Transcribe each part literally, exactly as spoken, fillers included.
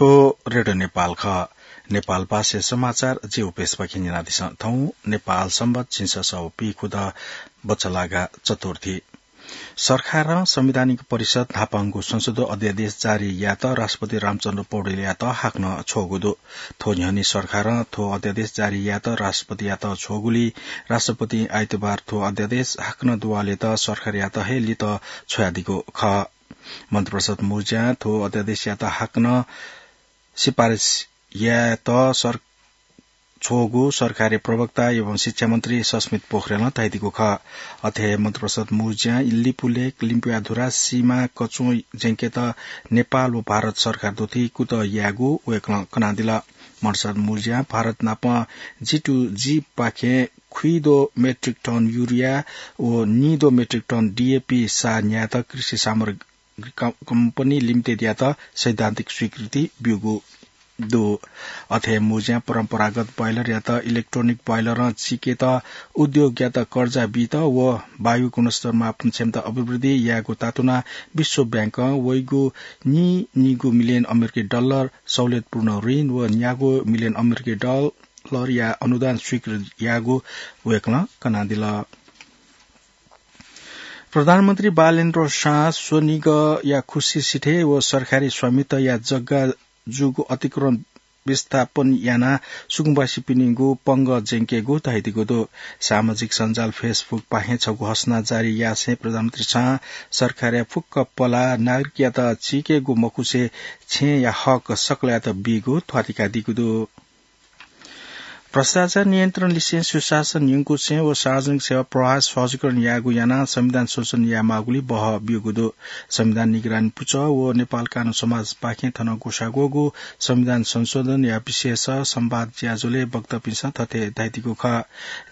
थ्व रेडियो नेपाल खः। नेपाल भाषाया समाचार जि उपेश पाखें न्यनादिसँ। थौं नेपाल संवत् झिंछसः व पीखुदँ बचलागा चतुर्थी। सरकारं संवैधानिक परिषद न्हापांगु संशोधन अध्यादेश जारी यायेत राष्ट्रपति रामचन्द्र पौडेलयात हाकनं छ्वःगु दु। थ्व न्ह्यःने सरकारं थ्व अध्यादेश जारी यायेत राष्ट्रपतियात छ्वःगुलिं राष्ट्रपतिं आइतबार थ्व अध्यादेश हाकनं दुवालेत सरकारयात हे लित छ्वयादीगु खः। मन्त्रिपरिषद मुँज्यां थ्व अध्यादेशयात हाकनं सिफारिस यायेत सर-, छ्वःगु सरकारी प्रवक्ता एवं शिक्षा मन्त्री सस्मित पोखरेलं धयादीगु खः। अथे मन्त्रिपरिषद मुँज्यां लिपुलेख, लिम्पुयाधुरा सीमा कचुं ज्यंकेत नेपाल व भारत सरकार दुथि कुतः यायेगु वय्कलं कनादिल। मन्त्रिपरिषद मुँज्यां भारत नाप G to G पाखें खुइदो मेट्रिक टन युरिया व निदो मेट्रिक टन DAP सार न्यायेत कृषि सामग्री क-, कम्पनी लिमिटेडयात सैद्धान्तिक स्वीकृति ब्यूगु दु। अथे मुँज्यां परम्परागत ब्वाइलरयात इलेक्ट्रोनिक ब्वाइलरं चिकेत उद्योगयात कर्जा बीत व वायु गुणस्तर मापन क्षमता अभिवृद्धि यायेगु तातुना विश्व बैंकं वइगु नीनिगू मिलियन अमेरिकी डलर सहुलियतपूर्ण ऋण व न्यागू मिलियन अमेरिकी डलरया अनुदान स्वीकृत याःगु वय्कलं कनादिल। प्रधानमन्त्री बालेन्द्र शाह स्वनिगःया खुसी सिथय् व सरकारी स्वामित्वया जग्गा जूगु अतिक्रमण विस्थापन यानाः सुकुम्बासीपिनिगु पंगः ज्यंकेगु धयादीगु दु। सामाजिक सञ्जाल Facebook पाखें छगू घोषणा जारी यासें प्रधानमन्त्री शाहं सरकारया फुक्क पलाः नागरिकयात चीकेगु मखुसें छेँया हक सकलयात बीगु ध्वाथुइकादीगु दु। भ्रष्टाचार नियन्त्रण लिसें सुशासन न्यंकुसें व सार्वजनिक सेवा प्रवाह सहजीकरण यायेगु यानाः संविधान संशोधन यायेमाःगुलिं बहः ब्यूगु दु। संविधान निगरानी पुचः व नेपाल कानून समाजपाखें थन ग्वसाः ग्वःगु संविधान संशोधनया विषयस संवाद ज्याझ्वलय् वक्तापिन्सं थथे धयादीगु खः।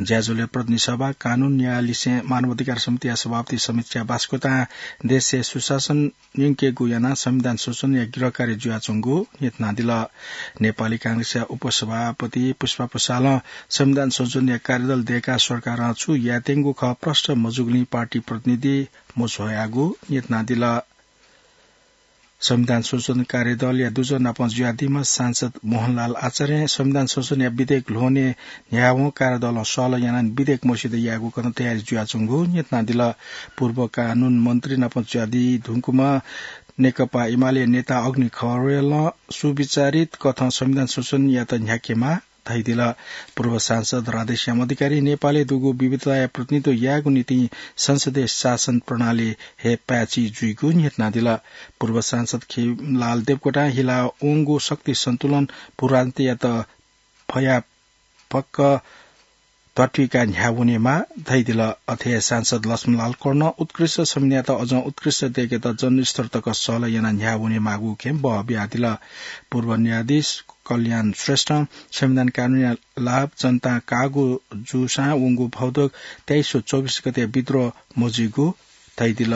ज्याझ्वलय् प्रतिनिधि सभा, कानून, न्याय लिसें मानवाधिकार समितिया सभापति समीक्षा बास्कोटां देशय् सुशासन न्यंकेगु यानाः संविधान संशोधनया गृह कार्य जुयाच्वंगु न्ह्यथनादिल। नेपाली कांग्रेसया उपसभापति पुष्पा पसालं संविधान संशोधनया कार्यदल दय्काः सरकारं छु यायेत्यंगु खः प्रष्ट मजूगुलिं पार्टी प्रतिनिधि मछ्वयागु न्ह्यथनादिल। संविधान संशोधन कार्यदलया दुजः नाप जुयादीम्ह सांसद मोहनलाल आचार्यं संविधान संशोधनया विधेयक ल्ह्वने न्ह्यावं कार्यदलं सहलह यानाः विधेयक मस्यू यायेगु कथं तयारी जुयाच्वंगु न्ह्यथनादिल। पूर्व कानून मन्त्री नाप जुयादी धुंकूम्ह नेकपा एमाले नेता अग्नि खरेलं सुविचारित कथं संविधान संशोधन यायेत न्ह्याकेमाः धयादिल। पूर्व सांसद राधेश्याम अधिकारी नेपालय् दुगु विविधताया प्रतिनिधित्व यायेगु निंतिं संसदीय शासन प्रणाली हे पाय्छि जुइगु न्ह्यथनादिल। पूर्व सांसद खेमलाल देवकोटां हिला वंगु शक्ति सन्तुलन भूराजनीतियात फया फक्क ध्वाथुइकाः न्ह्यावनेमाः धयादिल। अथे सांसद लक्ष्मणलाल कर्णं उत्कृष्ट संविधानयात अझं उत्कृष्ट दय्केत जनस्तर तक सहलह यानाः न्ह्यावनेमाःगु खँय् बः बियादिल। पूर्व न्यायाधीश कल्याण श्रेष्ठं संविधान कानूनया लाभ जनतां काःगु जूसां वंगु भदौ तेइस व चौबिस गते विद्रोह मजुइगु धयादिल।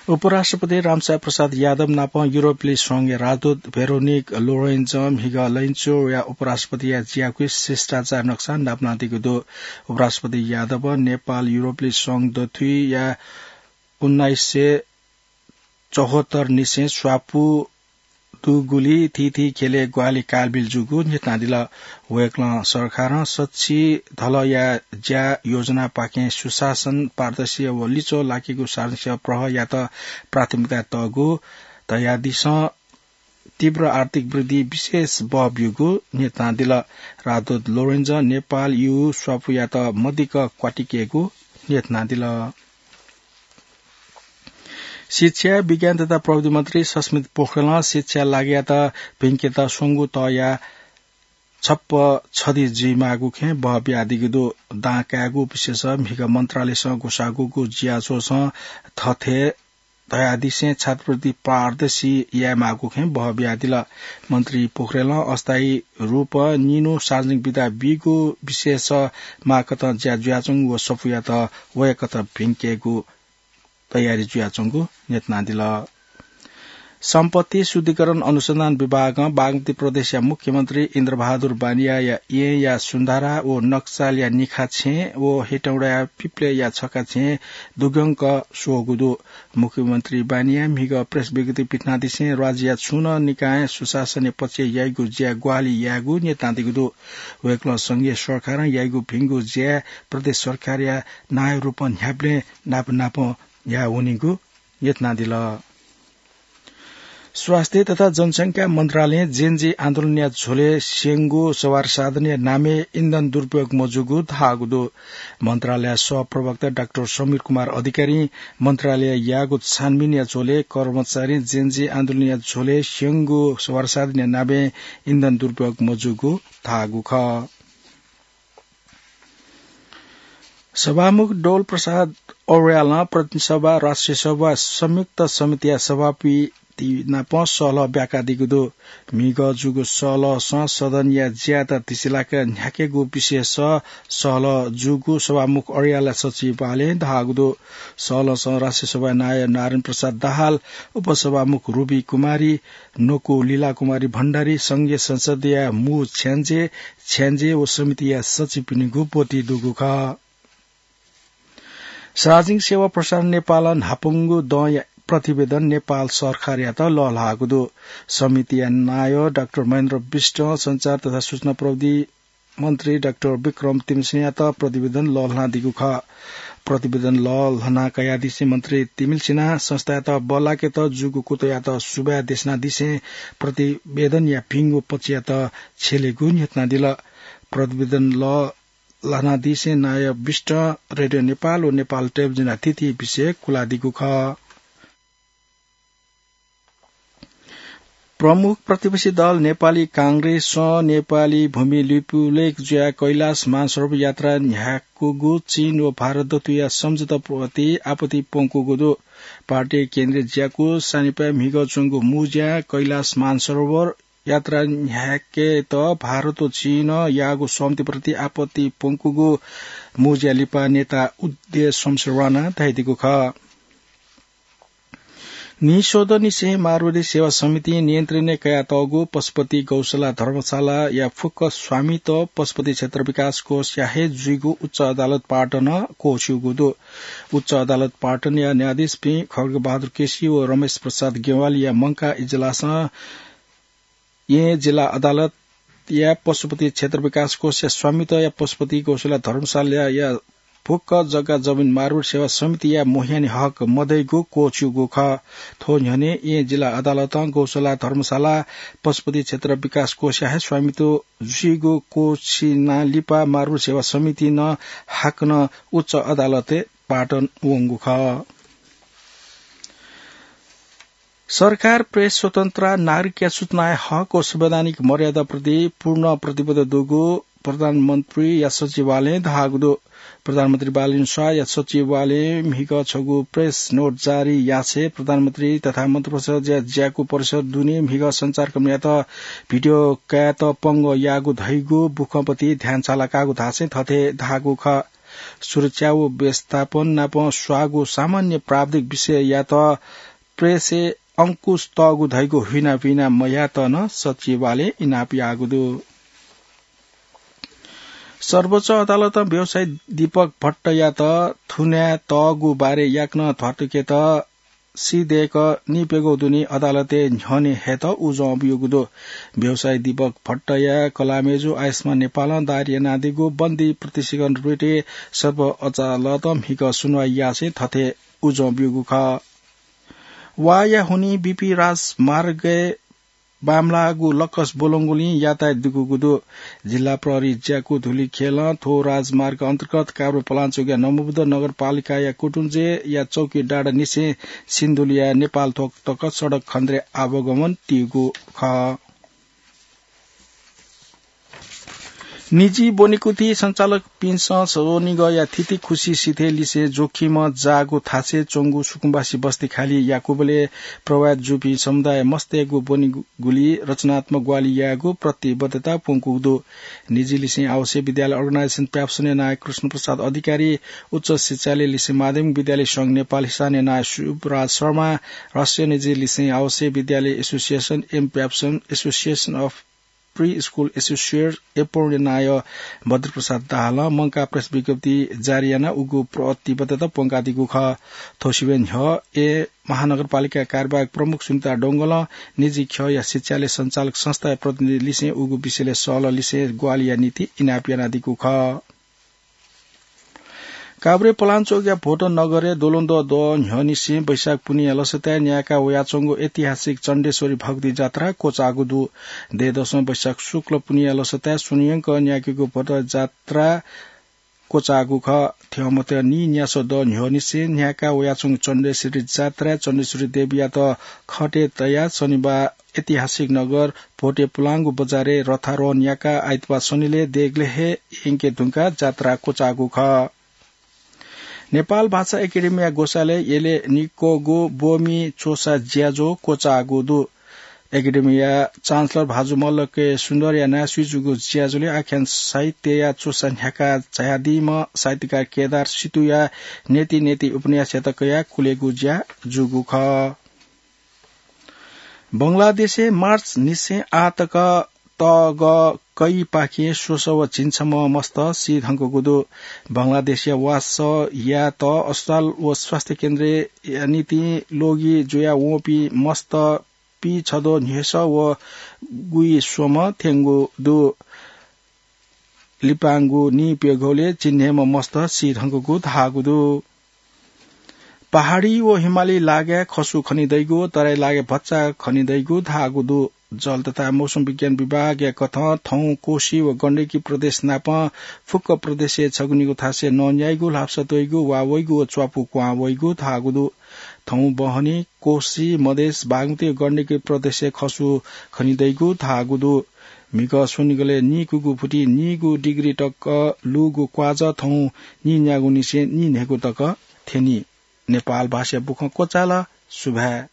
उपराष्ट्रपति रामसाय प्रसाद यादव नाप युरोपेली संघया राजदूत भेरोनिक लोरेन्जं म्हिगः लैनचोया उपराष्ट्रपतिया ज्याकुथिइ शिष्टाचार नक्सा नापलानादीगु दु। उपराष्ट्रपति यादवं नेपाल युरोपेली संघ दथुइया उन्नाइस सय चौहत्तर निसें स्वापू दुगुलिं थीथी ख्यलय् ग्वाहालि कालबिल जूगु न्ह्यथनादिल। वय्कलं सरकारं सछि धलःया ज्या योजनापाखें सुशासन, पारदर्शी व लिच्वः लाकेगु सार्वजनिक सेवा प्रवाहयात प्राथमिकता तःगु धयादिसँ तीव्र आर्थिक वृद्धि विशेष बः ब्यूगु न्ह्यथनादिल। राजदूत लोरेन्जं नेपाल यु स्वापूयात मदिक्क क्वातिकेगु न्ह्यथनादिल। शिक्षा, विज्ञान तथा प्रविधि मन्त्री सस्मित पोखरेलं शिक्षा लागःयात भिंकेत स्वंगू तःया छप्प छधि जुइमाःगु खँय् बः बियादीगु दु। दां कायेगु विषयस म्हिगः मन्त्रालयसं ग्वसाःगु जुयाच्वंसां थथे धयादिसें छात्रवृत्ति पारदर्शी यायेमाःगु खँय् बः बियादिल। मन्त्री पोखरेलं अस्थायी रूपं निन्हु सार्वजनिक विदा बीगु विषयस माःकथं ज्या जुयाच्वंगु व सफूयात वयाकथं भिंकेगु तयारी जुयाच्वंगु न्ह्यथनादिल। सम्पत्ति शुद्धिकरण अनुसन्धान विभागं बागमती प्रदेशया मुख्यमन्त्री इन्द्रबहादुर बानियाया येँया सुन्धारा व नक्सालया निखा छेँ व हेटौँडाया पिप्लेया छखा छेँ दुग्यंक स्वःगु दु। मुख्यमन्त्री बानियां म्हिगः प्रेस विज्ञप्ति पिथनादिसें राज्यया छुं नं निकायं सुशासनया पक्षय् याइगु ज्या ग्वाहालि यायेगु न्यतादीगु दु। वय्कलं संघीय सरकारं याइगु भिंगु ज्या प्रदेश सरकारया नायःया रूपं न्ह्याबलें नाप नापं याः वनीगु न्यतनादिल। स्वास्थ्य तथा जनसंख्या मन्त्रालयं जेनजी आन्दोलनया झ्वलय् स्यंगु सवार साधनया नामय् इन्धन दुरुपयोग मजूगु धाःगु दु। मन्त्रालय सहप्रवक्ता डाक्टर समीर कुमार अधिकारीं मन्त्रालयं याःगु छानबिनया झ्वलय् कर्मचारीं जेनजी आन्दोलनया झ्वलय् स्यंगु सवार साधनया नामय् इन्धन दुरुपयोग मजूगु धाःगु खः। सभामुख डोल प्रसाद अर्यालं प्रतिनिधि सभा, राष्ट्रिय सभा संयुक्त समितिया सभापति नाप सहलह ब्याकादीगु दु। म्हिगः जूगु सहलहसं सदनया ज्यायात धिसिलाक न्ह्याकेगु विषयस सहलह जूगु सभामुख अर्यालया सचिवालयं धाःगु दु। सहलहसं राष्ट्रिय सभाया नायः नारायण प्रसाद दाहाल, उपसभामुख रुबी कुमारी, नकु लीला कुमारी भण्डारी, संघीय संसदया मू छ्याञ्जे, छ्याञ्जे व समितिया सचिवपिनिगु ब्वति दुगु खः। सार्वजनिक सेवा प्रसारण नेपालं न्हापांगु दँया प्रतिवेदन नेपाल सरकारयात लःल्हाःगु दु। समितिया नायः डाक्टर महेन्द्र विष्टं सञ्चार तथा सूचना प्रविधि मन्त्री डाक्टर विक्रम तिमिल्सिनायात प्रतिवेदन लःल्हानादीगु खः। प्रतिवेदन लःल्हाना कयादिसें मन्त्री तिमिल्सिनां संस्थायात बल्लाकेत जूगु कुतःयात सुभाय् देछानादिसें प्रतिवेदनया भिंगु पक्षयात छ्यलेगु न्ह्यथनादिल। प्रतिवेदन लःल्हानादिसें नायः विष्टं रेडियो नेपाल व नेपाल टेलिभिजनया थीथी विषय कुलादीगु खः। प्रमुख प्रतिपक्षी दल नेपाली कांग्रेसं नेपाली भूमि लिपुलेख जुयाः कैलाश मानसरोवर यात्रा न्ह्याकूगु चीन व भारत दतुया सम्झौता प्रति आपत्ति प्वंकूगु दु। पार्टी केन्द्रीय ज्याकू सानिपाय् म्हिगः च्वंगु मुँज्यां कैलाश मानसरोवर यात्रा न्ह्याकेत भारत व चीनं याःगु सहमति प्रति आपत्ति प्वंकूगु मुँज्या लिपा नेता उदय शमशेर राणां धयादीगु खः। नीस्वदँनिसें मारवाडी सेवा समितिं नियन्त्रणय् कयातःगु पशुपति गौशाला धर्मशालाया फुक्क स्वामित्व पशुपति क्षेत्र विकास कोषया हे जुइगु उच्च अदालत पाटनं क्वःछिउगु दु। उच्च अदालत पाटनया न्यायाधीशपिं खड्गबहादुर केसी व रमेश प्रसाद गेवालीया मंकाः इजलासं येँ जिल्ला अदालतया पशुपति क्षेत्र विकास कोषया स्वामित्वया पशुपति गौशाला धर्मशालाया फुक्क जग्गा जमिन मारवाडी सेवा समितिया मोहयानी हक मदइगु क्वःछिउगु खः। थ्व न्ह्यःने येँ जिल्ला अदालतं गौशाला धर्मशाला पशुपति क्षेत्र विकास कोषया हे स्वामित्व जुइगु क्वःछिना लिपा मारवाडी सेवा समितिं हाकनं उच्च अदालतय् पाटन वंगु खः। सरकार प्रेस स्वतन्त्रता, नागरिकया सूचनाया हक व संवैधानिक मर्यादाप्रति पूर्ण प्रतिबद्ध दुगु प्रधानमन्त्रीया सचिवालयं धाःगु दु। प्रधानमन्त्री बालकृष्ण शाहया सचिवालयं म्हिगः छगू प्रेस नोट जारी यासें प्रधानमन्त्री तथा मन्त्रिपरिषदया ज्याकू परिसर दुने म्हिगः सञ्चारकर्मीयात भिडियो कायेत पंगः याःगु धइगु बुखँपति ध्यान छालाकाःगु धासें थथे धाःगु खः। सुरक्षा व व्यवस्थापन नाप स्वाःगु सामान्य प्राविधिक विषययात प्रेसय् अंकुश तःगु धइगु हुइनापिना मयात नं सचिवालयं इनाप याःगु दु। सर्वोच्च अदालतं व्यवसायी दीपक भट्टयात थुनाय् तःगु बारे याकनं ध्वातुकेत सिधयेक निप्यघौ दुने अदालतय् न्ह्यःने हयेत उजं ब्यूगु दु। व्यवसायी दीपक भट्टया कलाःमय्जु आयुष्मान नेपालं दायर यानादीगु बन्दी प्रत्यक्षीकरण रिटय् सर्वोच्च अदालतं म्हिगः सुनुवाइ यासें थथे उजं ब्यूगु खः। वाःया हुनिं बीपी राजमार्गय् बांमलाःगु लक्कस ब्वलंगुलिं यातायात दुगुगु दु। जिल्ला प्रहरी ज्याकू धुलिखेलं थ्व राजमार्ग अन्तर्गत काभ्रे पलाञ्चोकया नमोबुद्ध नगरपालिकाया कुटुञ्जेया चौकी डाँडानिसें सिन्धुलीया नेपाल थोक तक सडक खनेदुने आवागमन तीगु खः। निजी ब्वनेकुथि सञ्चालकपिन्सं स्वनिगःया थिति खुसी सिथय् लिसें जोखिमं जाःगु थासय् च्वंगु सुकुम्बासी बस्ती खाली याकूबलय् प्रभावित जूपिं समुदाय मस्तय्‌गु ब्वनेगुली रचनात्मक ग्वाहालि यायेगु प्रतिबद्धता प्वंकूगु दु। निजी लिसें आवश्यक विद्यालय अर्गनाइजेसन प्याप्सनया नायः कृष्णप्रसाद अधिकारी, उच्च शिक्षालय लिसें माध्यमिक विद्यालय संघ नेपाल हिसानया नायः शुभराज शर्मा, राष्ट्रिय निजी लिसें आवश्यक विद्यालय एसोसिएसन एम प्याप्सन, association of pre school associate एपोर्णया नायः बद्रप्रसाद दाहालं मंकाः प्रेस विज्ञप्ति जारी यानाः उगु प्रतिबद्धता प्वंकादीगु खः। थ्व सिबें न्ह्यः ए महानगरपालिका कार्यवाहक प्रमुख सुनिता डोंगलं निजी ख्यःया शिक्षालय सञ्चालक संस्थाया प्रतिनिधि लिसें उगु विषयलय् सहलह लिसें ग्वाहालिया निंतिं इनाप यानादीगु खः। काभ्रे पलाञ्चोकया भोट नगरय् द्वलंद्वः दँ न्ह्यःनिसें वैशाख पुन्हिया लसताय् न्यायेका वयाच्वंगु ऐतिहासिक चण्डेश्वरी भगवती जात्रा क्वचाःगु दु। दँय्‌दसं वैशाख शुक्ल पुन्हिया लसताय् स्वन्हुयंक न्यायेकेगु भोट जात्रा क्वचाःगु खः। थ्यंमत नीन्यासः दँ न्ह्यःनिसें न्यायेका वयाच्वंगु चण्डेश्वरी जात्राय् चण्डेश्वरी देवीयात खटय् तयाः शनिबाः ऐतिहासिक नगर भोटे पुलांगु बजारय् रथारोहण याकाः आइतबाः सनिलय् देगलय् हे यंके धुंकाः जात्रा क्वचाःगु खः। नेपाल भाषा एकेडेमीया ग्वसालय् यलय् निक्वःगु ब्वमि च्वसा ज्याझ्वः क्वचाःगु दु। एकेडेमीया चान्सलर भाजु मल्ल के सुन्दरया नायःसुइ जूगु ज्याझ्वलय् आख्यान साहित्यया च्वसा न्ह्याका झायादीम्ह साहित्यकार केदार सितुया नेति नेति उपन्यासयात कयाः कुलेगु ज्या जूगु खः। बंगलादेशय् मार्च निसें आः तक तःगः कैपाखें स्वसः व झिंछम्ह मस्त सी धंकूगु दु। बंगलादेशया वासः यायेत अस्पताल व स्वास्थ्य केन्द्रया निंतिं लोगी जुया वंपिं मस्त पीछद्वः न्हय्‌सः व गुइस्वम्ह थ्यंगु दु। लिपांगु नीप्यघौलय् चिन्हय्‌म्ह मस्त सी धंकूगु धाःगु दु। पहाडी व हिमाली लागाय् खसु खनेदइगु व तराई लागाय् भचा खनेदइगु धाःगु दु। जल तथा मौसम विज्ञान विभागया कथं थौं कोशी व गण्डकी प्रदेश नापं फुक्क प्रदेशय् छगू निगू थासय् नन्याइगु, ल्हापसा त्वइगु, वा वइगु व च्वापु क्वहां वइगु धाःगु दु। थौं बहनी, कोशी, मधेस, बागमती व गण्डकी प्रदेशय् खसु खनेदइगु धाःगु दु। म्हिगः स्वनिगलय् नीकूगु फुति नीगू डिग्री तक लूगु क्वाजः थौं नीन्यागूनिसें नीन्हय्‌गू तक थ्यनी। नेपाल भाषाया बुखँ क्वचाल। सुभाय्।